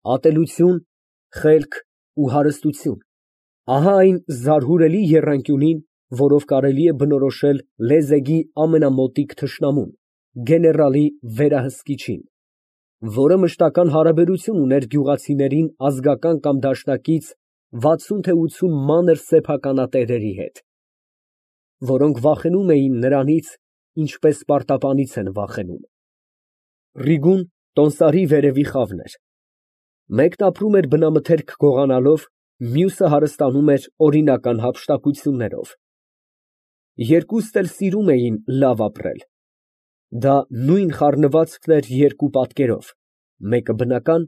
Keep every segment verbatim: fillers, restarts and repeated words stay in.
ատելություն, խելք ու հարստություն, ահա այն զարհուրելի եռանկյունին, որով կարելի է բնորոշել լեզեգի ամենամոտիկ թշնամուն, գեներալի վերահսկիչին, որը մշտական հարաբերություն ուներ գյուղացիներին ազգական կամ դաշնակից վաթսուն թե ութսուն մանր սեփականատերերի հետ, որոնք վախենում էին նրանից, ինչպես պարտապանից են վախենում։ Ռիգուն տոնդարի վերևի խավն էր, մեկն ապրում էր բնամթերք գողանալով, մյուսը հարստանում էր օրինական հափշտակություններով։ Երկուսն էլ սիրում էին լավ ապրել, դա նույն խառնվածքն էր երկու պատկերով, մեկը բնական,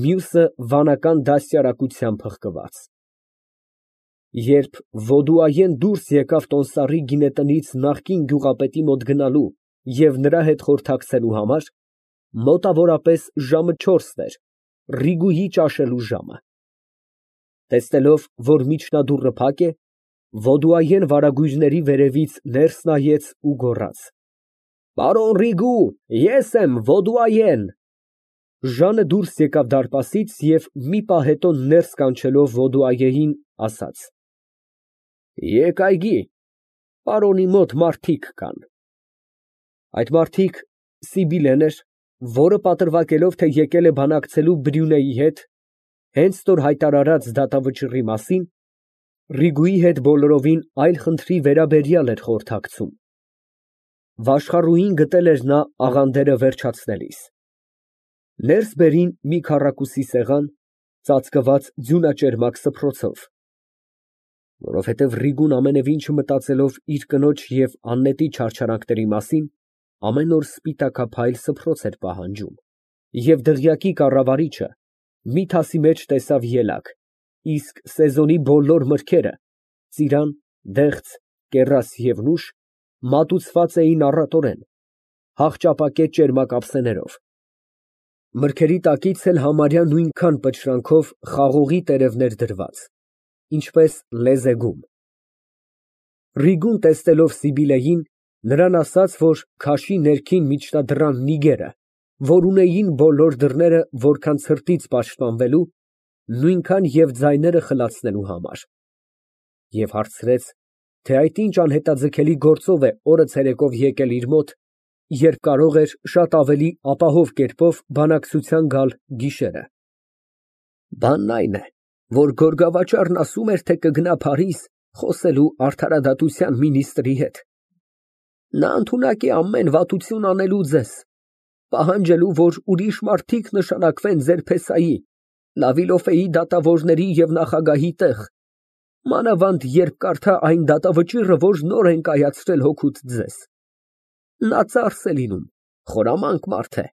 մյուսը վանական դաստիարակությամբ հղկված։ Երբ Ոդուայեն դուրս եկավ տոնդարի գինետնից նախկին գյուղապետի մոտ գնալու և նրա հետ խորհրդակցելու համար, մոտավորապես ժամը չորսն էր, Ռիգուի ճաշելու ժամը։ Տեսնելով, որ միջնադուռը փակ է, Ոդուայեն վարագույրների վերևից ներս նայեց ու գոռաց. «Պարոն Ռիգու, ես եմ Ոդուայեն»։ Ժանը դուրս եկավ դարպասից և մի պահ հետո ներս կանչելով Ոդուայեին, ասաց. «Եկ այգի, պարոնի մոտ մարդիկ կան»։ Այդ մարդիկ Սիբիլեն էր, որը պատրվակելով, թե եկել է բանակցելու Բրիունեի հետ, հենց նոր հայտարարած դատավճիռի մասին, Ռիգուի հետ բոլորովին այլ խնդրի վերաբերյալ էր խորհրդակցում։ Վաշխառուհին գտել էր նա աղանդերը վերջացնելիս։ Ներս բերին մի քառակուսի սեղան, ծածկված ձյունաճերմակ սփռոցով, որովհետև Ռիգուն ամենևին չմտածելով իր կնոջ և Աննետի չարչարանքների մասին, ամեն օր սպիտակափայլ սփռոց էր պահանջում, և դղյակի կառավարիչը մի թասի մեջ տեսավ ելակ, իսկ սեզոնի բոլոր մրգերը՝ ծիրան, դեղց, կեռաս և նուշ, մատուցված էին առատորեն, հաղճապակե ճերմակ ափսեներով, մրգերի տակից էլ համարյա նույնքան պտշրանքով խաղողի տերևներ դրված, ինչպես լեզեգում։ Ռիգուն, տեսնելով Սիբիլեին, նրան ասաց, որ քաշի ներքին միջնադռան նիգերը, որ ունեին բոլոր դռները որքան ցրտից պաշտպանվելու, նույնքան և ձայները խլացնելու համար, և հարցրեց, թե այդ ինչ անհետաձգելի գործով է օրը ցերեկով եկել իր մոտ, երբ կարող էր շատ ավելի ապահով կերպով բանակցության գալ գիշերը։ Բանն այն է, որ գորգավաճառն ասում էր, թե կգնա Փարիզ խոսելու արդարադատության մինիստրի հետ. նա ընդունակ է ամեն վատություն անելու ձեզ, պահանջելու, որ ուրիշ մարդիկ նշանակվեն ձեր փեսայի, Լավիլոֆեի դատավորների և նախագահի տեղ, մանավանդ երբ կարդա այն դատավճիռը, որ նոր են կայացրել հօգուտ ձեզ։ Նա ծախս է լինում, խորամանկ մարդ է,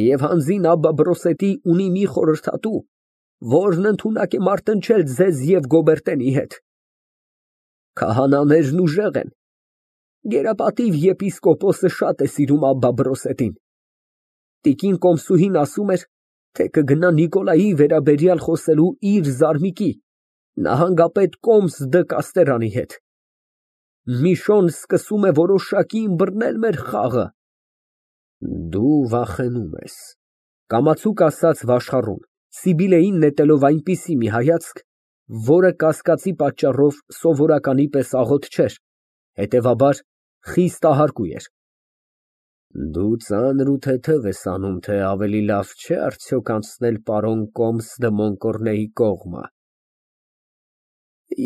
և հանձին Աբբա֊Բրոսետի ունի մի խորհրդատու, որն ընդունակ է մարտնչել ձեզ և Գոբերտենի հետ։ Քահանաներն ուժեղ են, գերապատիվ եպիսկոպոսը շատ է սիրում Աբբա֊Բրոսետին։ Տիկին Կոմսուհին ասում էր, թե կգնա Նիկոլայի վերաբերյալ խոսելու իր զարմիկի, նահանգապետ Կոմս դը Կաստերանի հետ։ Միշոն սկսում է որոշակի ըմբռնել մեր խաղը։ Դու վախենում ես, կամացուկ ասաց վաշխառուն, Սիբիլեին նետելով այնպիսի մի հայացք, որը կասկածի պատճառով սովորականի պես աղոտ չէր, հետևաբար խիստ ահարկու էր։ Դու ծանր ու թեթև ես անում, թե ավելի լավ չէ արդյոք անցնել պարոն Կոմս դը Մոնկորնեի կողմը։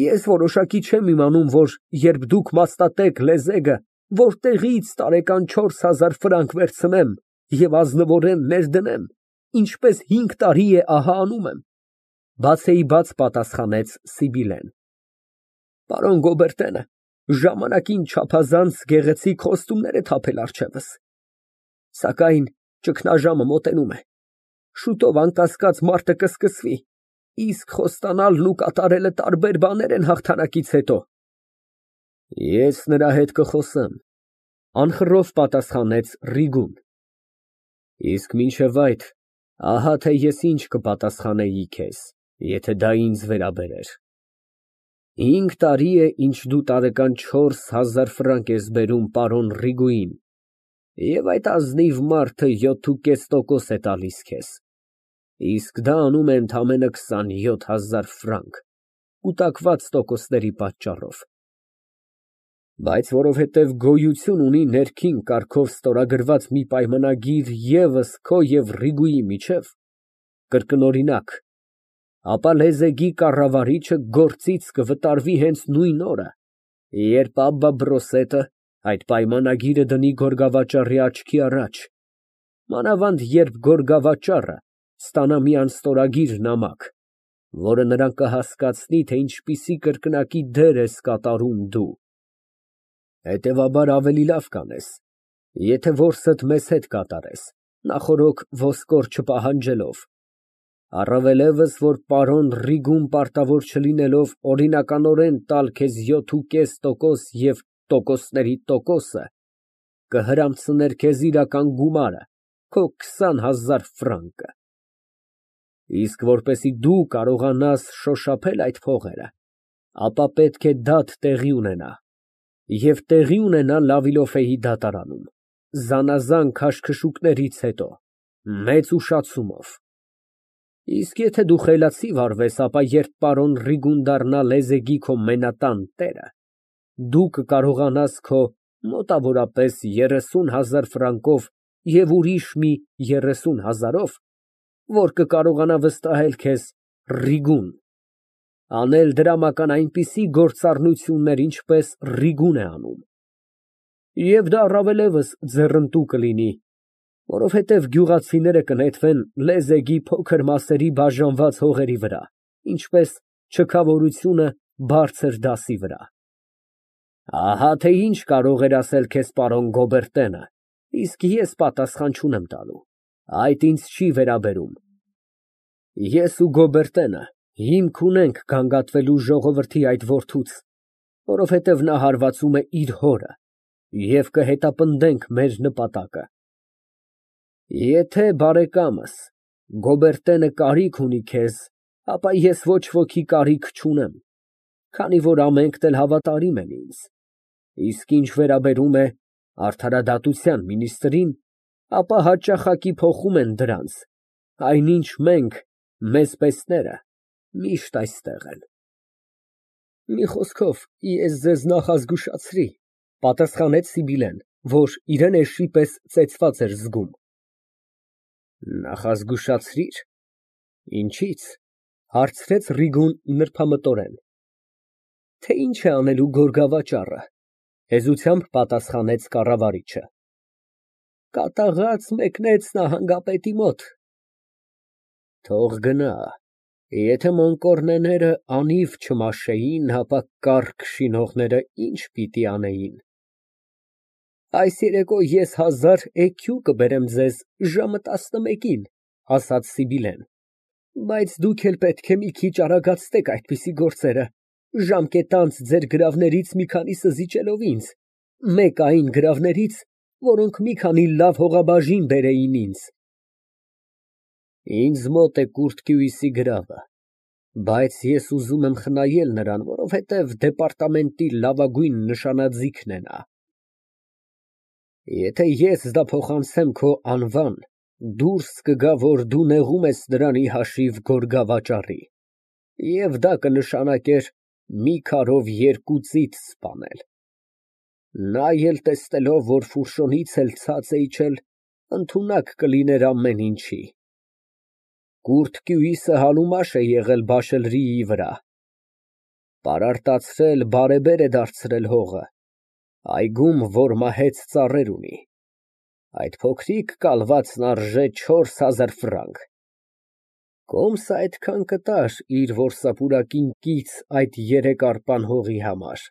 Ես որոշակի չեմ իմանում, որ երբ դուք մասնատեք լեզեգը, որտեղից տարեկան չորս հազար ֆրանկ վերցնեմ և ազնվորեն ներդնեմ, ինչպես հինգ տարի է ահա անում եմ, բացեիբաց պատասխանեց Սիբիլեն։ Պարոն Գոբերտենը ժամանակին չափազանց գեղեցիկ խոստումներ է թափել առջևս, սակայն ճգնաժամը մոտենում է, շուտով անկասկած մարտը կսկսվի, իսկ խոստանալն ու կատարելը տարբեր բաներ են հաղթանակից հետո։ Ես նրա հետ կխոսեմ, անխռով պատասխանեց Ռիգուն։ Իսկ մինչև այդ, ահա թե ես ինչ կպատասխանեի քեզ, եթե դա ինձ վերաբերեր։ Հինգ տարի է, ինչ դու տարեկան չորս հազար ֆրանկ ես բերում պարոն Ռիգուին, և այդ ազնիվ մարդը յոթ ու կես տոկոս է տալիս քեզ։ Իսկ դա անում է ընդամենը քսանյոթ հազար ֆրանկ, կուտակված տոկոսների պատճառով։ Բայց որովհետև գոյություն ունի ներքին կարգով ստորագրված մի պայմանագիր ևս քո և Ռիգուի միջև, կրկնօրինակ, ապա լեզեգի կառավարիչը գործից կվտարվի հենց նույն օրը, երբ Աբբա Բրոսետը այդ պայմանագիրը դնի գորգավաճառի աչքի առաջ, մանավանդ երբ գորգավաճառը ստանա մի անստորագիր նամակ, որը նրան կհասկացնի, թե ինչպիսի կրկնակի դեր ես կատարում դու։ Հետևաբար ավելի լավ կանես, եթե որսդ մեզ հետ կատարես, նախօրոք ոսկոր չպահանջելով, առավելևս, որ պարոն Ռիգուն պարտավոր չլինելով օրինականորեն տալ քեզ յոթ ու կես տոկոս և տոկոսների տոկոսը, կհրամցներ քեզ իրական գումարը, քո քսան հազար ֆրանկը։ Իսկ որպեսզի դու կարողանաս շոշափել այդ փողերը, ապա պետք է դատ տեղի ունենա, և տեղի ունենա Լավիլոֆեի դատարանում, զանազան քաշքշուկներից հետո, մեծ ուշացումով։ Իսկ եթե դու խելացի վարվես, ապա երբ պարոն Ռիգուն դառնա լեզեգի քո մենատան տերը, դու կկարողանաս քո մոտավորապես երեսուն հազար ֆրանկով և ուրիշ մի երեսուն հազարով, որ կկարողանա վստահել քեզ Ռիգուն, անել դրամական այնպիսի գործառնություններ, ինչպես Ռիգուն է անում։ Եվ դա առավելևս ձեռնտու կլինի, որովհետև գյուղացիները կնետվեն լեզեգի փոքր մասերի բաժանված հողերի վրա, ինչպես չքավորությունը բարձր դասի վրա։ Ահա թե ինչ կարող էր ասել քեզ պարոն Գոբերտենը, իսկ ես պատասխան չունեմ տալու, այդ ինձ չի վերաբերում։ Ես ու Գոբերտենը հիմք ունենք գանգատվելու ժողովրդի այդ որդուց, որովհետև նա հարվածում է իր հորը, և կհետապնդենք մեր նպատակը։ Եթե բարեկամս Գոբերտենը կարիք ունի քեզ, ապա ես ոչ ոքի կարիք չունեմ, քանի որ ամենքն էլ հավատարիմ են ինձ, իսկ ինչ վերաբերում է արդարադատության մինիստրին, ապա հաճախակի փոխում են դրանց, այնինչ մենք, մեզ պեսները, միշտ այստեղ են։ Մի խոսքով, ես ձեզ նախազգուշացրի, պատասխանեց Սիբիլեն, որ իրան էշի պես ծեծված էր զգում։ Նախազգուշացրի՞ր, ինչի՞ց, հարցրեց Ռիգուն նրբամտորեն։ Թե ինչ է անելու գորգավաճառը, հեզությամբ պատասխանեց կառավարիչը։ Կատաղած մեկնեց նահանգապետի մոտ։ Թող գնա, եթե մոնկորնեները անիվ չմաշեին, ապա կառք շինողները ինչ պիտի անեին։ Այս երեկո ես հազար էքյու կբերեմ ձեզ ժամը տասնմեկին, ասաց Սիբիլեն, բայց դուք էլ պետք է մի քիչ արագացնեք այդպիսի գործերը, ժամկետանց ձեր գրավներից մի քանիսը զիջելով ինձ, մեկ այն գրավներից, որոնք մի քանի լավ հողաբաժին բերեին ինձ։ Ինձ մոտ է Կուրթկյուիսի գրավը, բայց ես ուզում եմ խնայել նրան, որովհետև դեպարտամենտի լավագույն նշանաձիգն է նա։ Եթե ես դա փոխանցեմ քո անվան, դուրս կգա, որ դու նեղում ես նրան ի հաշիվ գորգավաճառի, և դա կնշանակեր մի քարով երկու ծիծ սպանել։ Նա էլ տեսնելով, որ Ֆուրշոնից էլ ցած է իջել, ընդունակ կլիներ ամեն ինչի։ Կուրթկյուիսը համեմաշ է եղել Բաշելրիի վրա, պարարտացրել, բարեբեր է դարձրել հողը, այգում, որ մահեց ծառեր ունի, այդ փոքրիկ կալվածն արժե չորս հազար ֆրանկ, կոմսը այդքան կտար իր որսապուրակին կից այդ երեք արպան հողի համար։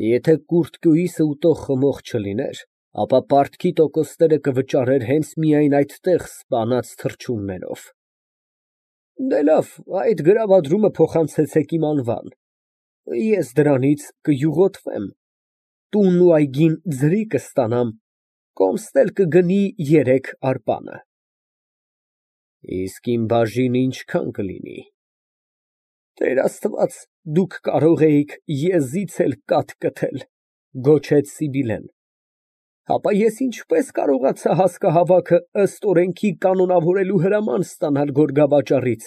Եթե Կուրթկյուիսը ուտող խմող չլիներ, ապա պարտքի տոկոսները կվճարեր հենց միայն այդտեղ սպանած թռչուններով։ Դե լավ, այդ գրավադրումը փոխանցեցեք իմ անվան, ես դրանից կյուղոտվեմ, տունն ու այգին ձրի կստանամ, կոմսն էլ կգնի երեք արպանը։ Իսկ իմ բաժինը ինչքան կլինի։ Տեր Աստված, դուք կարող էիք եզից էլ կաթ կթել, գոչեց Սիբիլեն։ Ապա ես ինչպես կարողացա հասկահավաքը ըստ օրենքի կանոնավորելու հրաման ստանալ գորգավաճառից։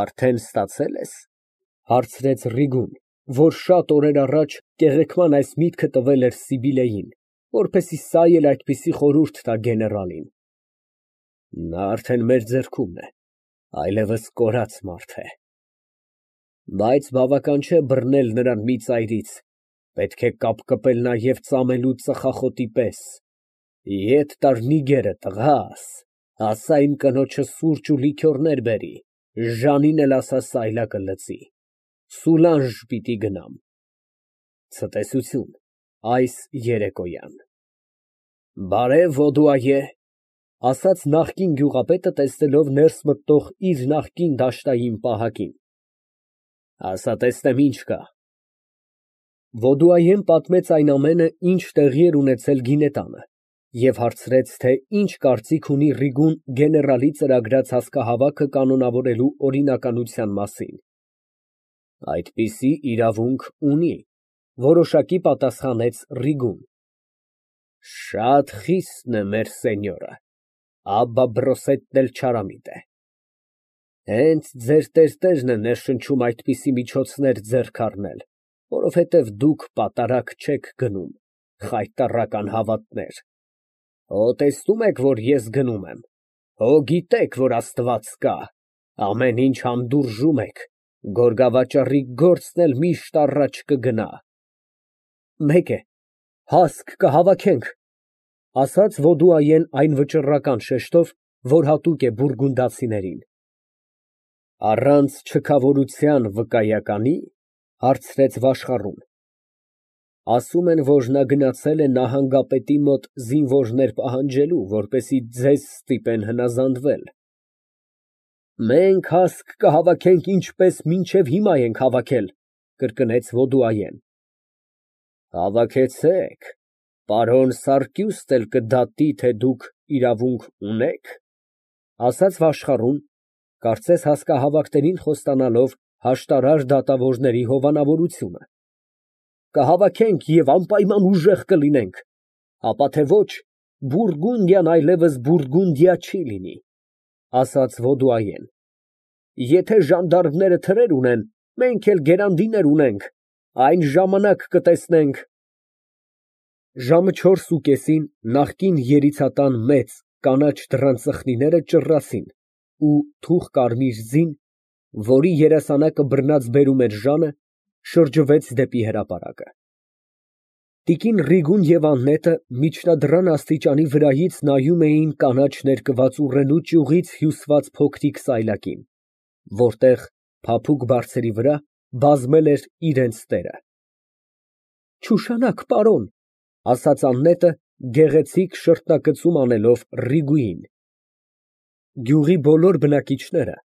Արդեն ստացել ես, հարցրեց Ռիգուն, որ շատ օրեր առաջ կեղեքման այս միտքը տվել էր Սիբիլեին, որպեսզի սա էլ այդպիսի խորհուրդ տա գեներալին։ Նա արդեն մեր ձեռքումն է, այլևս կորած մարդ է։ Բայց բավական չէ բռնել նրան մի ծայրից, պետք է կապկպել նաև ծամելու ծխախոտի պես։ Ետ տար նիգերը, տղաս, ասա իմ կնոջը սուրճ ու լիքյորներ բերի, Ժանին էլ ասա սայլակը լցի, Սուլանժ պիտի գնամ։ Ցտեսություն այս երեկոյան։ Բարև, Ոդուայե, ասաց նախկին գյուղապետը, տեսնելով ներս մտնող իր նախկին դաշտային պահակին։ Ասա տեսնեմ ինչ կա։ Ոդուայեն պատմեց այն ամենը, ինչ տեղի էր ունեցել գինետանը, և հարցրեց, թե ինչ կարծիք ունի Ռիգուն գեներալի ծրագրած հասկահավաքը կանոնավորելու օրինականության մասին։ Այդպիսի իրավունք ունի, որոշակի պատասխանեց Ռիգուն։ Շատ խիսն է մեր սենյորը, աբա բրոսետն էլ չարամիտ է։ Հենց ձեր տերտերն է ներշնչում այդպիսի միջոցներ ձեռք առնել, որովհետև դուք պատարագ չեք գնում, խայտառական հավատներ։ Հո տեսնում եք, որ ես գնում եմ, հո գիտեք, որ Աստված կա, ամեն ինչ հանդուրժում եք, գորգավաճառի գործն էլ միշտ առաջ կգնա։ Մեկ է, հասկ կհավաքենք, ասաց Ոդուայեն այն վճռական շեշտով, որ հատուկ է բուրգունդացիներին։ Առանց չքավորության վկայականի, հարցրեց Վաշխառուն։ Ասում են, որ նա գնացել է նահանգապետի մոտ զինվորներ պահանջելու, որպեսզի ձեզ ստիպեն հնազանդվել։ Մենք հասկ կհավաքենք, ինչպես մինչև հիմա ենք հավաքել, կրկնեց Ոդուայեն։ Հավաքեցեք, պարոն Սարգյուստն էլ կդատի, թե դուք իրավունք ունեք, ասաց Վաշխառուն, կարծես հասկահավաքներին խոստանալով հաշտարար դատավորների հովանավորությունը։ Կհավաքենք և անպայման ուժեղ կլինենք, ապա թե ոչ, Բուրգունդիան այլևս Բուրգունդիա չի լինի, ասաց Ոդուայեն։ Եթե ժանդարմները թրեր ունեն, մենք էլ գերանդիներ ունենք, այն ժամանակ կտեսնենք։ Ժամը չորսուկեսին նախկին երիցատան մեծ կանաչ դռան ծխնիները ճռռացին, ու թուխ կարմիր ձին, որի երեսանակը բռնած բերում էր Ժանը, շրջվեց դեպի հրապարակը։ Տիկին Ռիգուն և Աննետը միջնադռան աստիճանի վրայից նայում էին կանաչ ներկված ուռենու ճյուղից հյուսված փոքրիկ սայլակին, որտեղ փափուկ բարձերի վրա բազմել էր իրենց տերը։ Չուշանաք, պարոն, ասաց Աննետը, գեղեցիկ շրթնակցում անելով Ռիգուին։ Գյուղի բոլոր բնակիչները,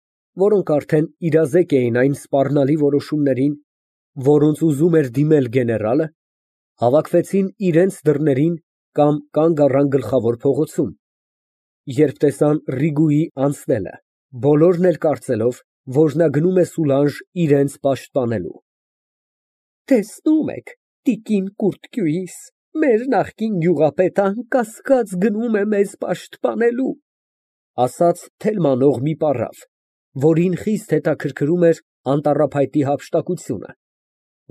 որոնք արդեն իրազեկ էին այն սպառնալի որոշումներին, որոնց ուզում էր դիմել գեներալը, հավաքվեցին իրենց դռներին կամ կանգ առան գլխավոր փողոցում, երբ տեսան Ռիգուի անցնելը, բոլորն էլ կարծելով, որ նա գնում է Սուլանժ իրենց պաշտպանելու։ Տեսնում եք, տիկին Կուրտկյուիս, մեր նախկին գյուղապետը անկասկած գնում է մեզ պաշտպանելու, ասաց թելմանող մի պառավ, որին խիստ հետաքրքրում էր անտառափայտի հափշտակությունը,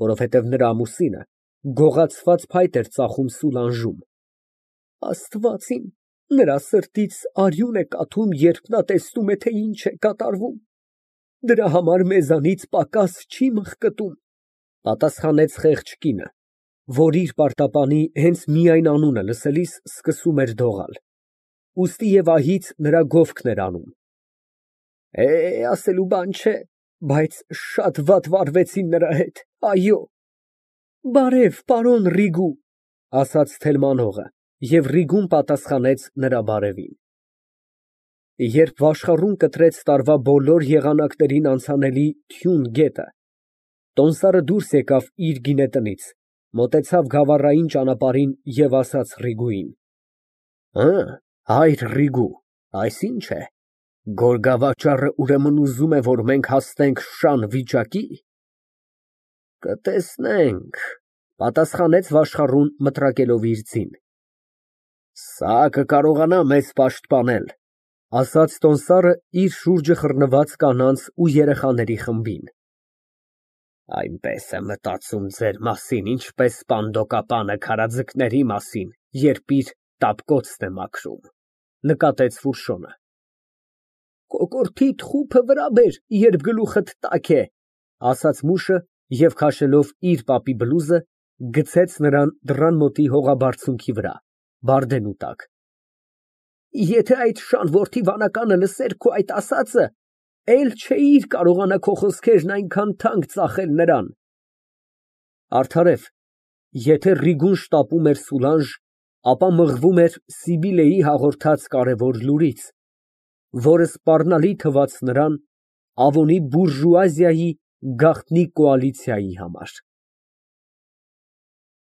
որովհետև նրա ամուսինը գողացված փայտ էր ծախում Սուլանժում։ Աստված իմ, նրա սրտից արյուն է կաթում, երբ նա տեսնում է, թե ինչ է կատարվում։ Դրա համար մեզանից պակաս չի մխկտում, պատասխանեց խեղճ կինը, որ իր պարտապանի հենց միայն անունը լսելիս սկսում էր դողալ, ուստի և ահից նրա գովքն էր անում։ Է, ասելու բան չէ, բայց շատ վատ վարվեցին նրա հետ, այո։ Բարև, պարոն Ռիգու, ասաց թելմանողը, և Ռիգուն պատասխանեց նրա բարևին։ Երբ Վաշխառուն կտրեց տարվա բոլոր եղանակներին անցանելի թյուն գետը, տոմսարը դուրս եկավ իր գինետնից, մոտեցավ գավառային ճանապարհին և ասաց Ռիգուին. Հը, հայր Ռիգու, այս ի՞նչ է, գորգավաճառը ուրեմն ուզում է, որ մենք հասնենք շան վիճակի։ Կտեսնենք, պատասխանեց Վաշխառուն մտրակելով իր ձին։ Սա կկարողանա մեզ պաշտպանել, ասաց տոմսարը իր շուրջը խռնված կանանց ու երեխաների խմբին։ Այնպես է մտածում ձեր մասին, ինչպես սպանդոկապանը քարաձկների մասին, երբ իր տապկոցն է մաքրում, նկատեց Ֆուրշոնը։ Կոկորդիդ խուփը վրա բեր, երբ գլուխդ տաք է, ասաց մուշը և քաշելով իր պապի բլուզը, գցեց նրան դռան մոտի հողաբարձունքի վրա, բարդենու տակ։ Եթե այդ շան որդի վանականը լսեր քո այդ ասածը, էլ չէիր կարողանա քո խոսքերն այնքան թանկ ծախել նրան։ Արդարև, եթե Ռիգուն շտապում էր Սուլանժ, ապա մղվում էր Սիբիլեի հաղորդած կարևոր լուրից, որը սպառնալի թվաց նրան Ավոնի բուրժուազիայի գաղտնի կոալիցիայի համար։